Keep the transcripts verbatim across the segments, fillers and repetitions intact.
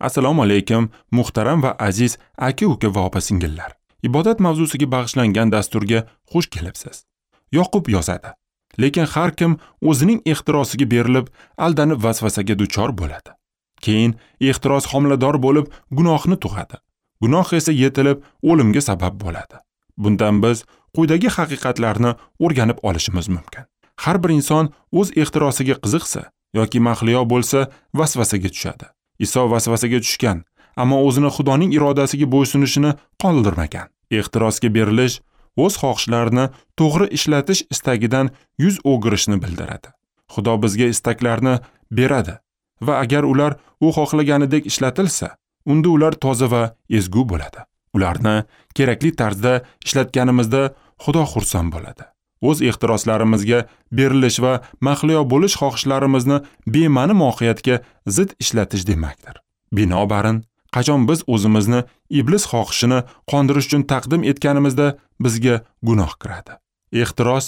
Assalomu alaykum, muhtaram va aziz aka-uka va opa-singillar. Ibodat mavzusiga bag'ishlangan dasturga xush kelibsiz. Yoqub yozadi: lekin har kim o'zining ehtirosiga berilib, aldanib vasvasaga duchor bo'ladi. Keyin ehtiros homilador bo'lib, gunohni tug'adi. Gunoh esa yetilib, o'limga sabab bo'ladi. Bundan biz quyidagi haqiqatlarni o'rganib olishimiz mumkin. Har bir inson o'z ehtirosiga qiziqsa yoki mahliyo bo'lsa, vasvasaga tushadi. Iso vasvasaga tushgan, ammo o'zini Xudoning irodasiga bo'ysunishini qoldirmagan. Ehtirosga berilish o'z xohishlarini to'g'ri ishlatish istagidan yuz o'girishni bildiradi. Xudo bizga istaklarni beradi va agar ular u xohlaganidek ishlatilsa, unda ular toza va ezgu bo'ladi. Ularni kerakli tarzda ishlatganimizda Xudo xursand bo'ladi. O'z ehtiroslarimizga berilish va mahliyo bo'lish xohishlarimizni bema'ni mohiyatga zid ishlatish demakdir. Binobarin, qachon biz o'zimizni iblis xohishini qondirish uchun taqdim etganimizda bizga gunoh kiradi. Ehtiros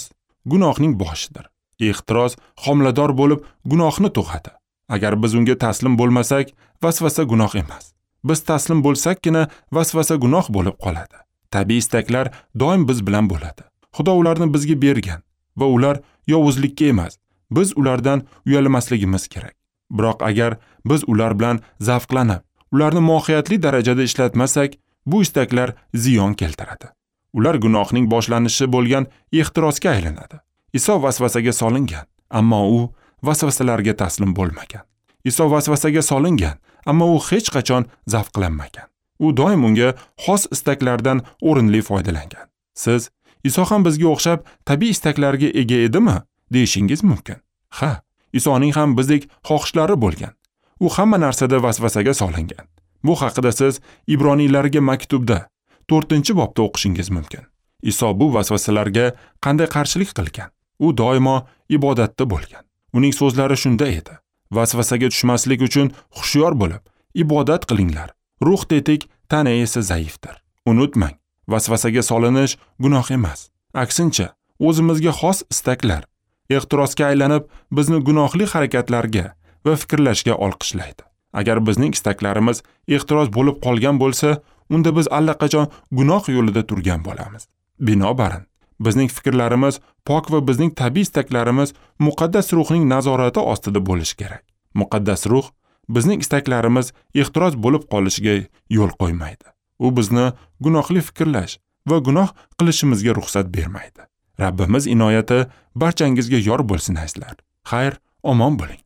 gunohning boshidir. Ehtiros homilador bo'lib gunohni tug'adi. Agar biz unga taslim bo'lmasak, vasvasa gunoh emas. Biz taslim bo'lsakkina vasvasa gunoh bo'lib qoladi. Tabiiy istaklar doim biz bilan bo'ladi. Xudo ularni bizga bergan va ular yovuzlikka emas, biz ulardan uyalmasligimiz kerak. Biroq agar biz ular bilan zavqlanib, ularni mohiyatli darajada ishlatmasak, bu istaklar ziyon keltiradi. Ular gunohning boshlanishi bo'lgan ehtirosga aylanadi. Iso vasvasaga solingan, ammo u vasvasalarga taslim bo'lmagan. Iso vasvasaga solingan, ammo u hech qachon zavqlanmagan. U doim unga xos istaklardan o'rinli foydalangan. Siz Iso ham bizga o'xshab tabiiy istaklarga ega edimi, deyishingiz mumkin. Ha, Isoning ham bizdek xohishlari bo'lgan. U hamma narsada vasvasaga solingan. Bu haqida siz Ibroniylarga maktubda to'rtinchi bobda o'qishingiz mumkin. Iso bu vasvasalarga qanday qarshilik qilgan? U doimo ibodatda bo'lgan. Uning so'zlari shunda edi: vasvasaga tushmaslik uchun hushyor bo'lib, ibodat qilinglar. Ruh tetik, tana esa zaifdir. Unutmang, vasvasaga solinish gunoh emas. Aksincha, o'zimizga xos istaklar ehtirosga aylanib, bizni gunohli harakatlarga va fikrlashga olqishlaydi. Agar bizning istaklarimiz ehtiros bo'lib qolgan bo'lsa, unda biz allaqachon gunoh yo'lida turgan bo'lamiz. Binobarin, bizning fikrlarimiz pok va bizning tabiiy istaklarimiz muqaddas ruhning nazorati ostida bo'lishi kerak. Muqaddas ruh bizning istaklarimiz ehtiros bo'lib qolishiga yo'l qo'ymaydi. U bizni gunohli fikrlash va gunoh qilishimizga ruxsat bermaydi. Rabbimiz inoyati barchangizga yor bo'lsin azizlar. Xayr, omon bo'ling.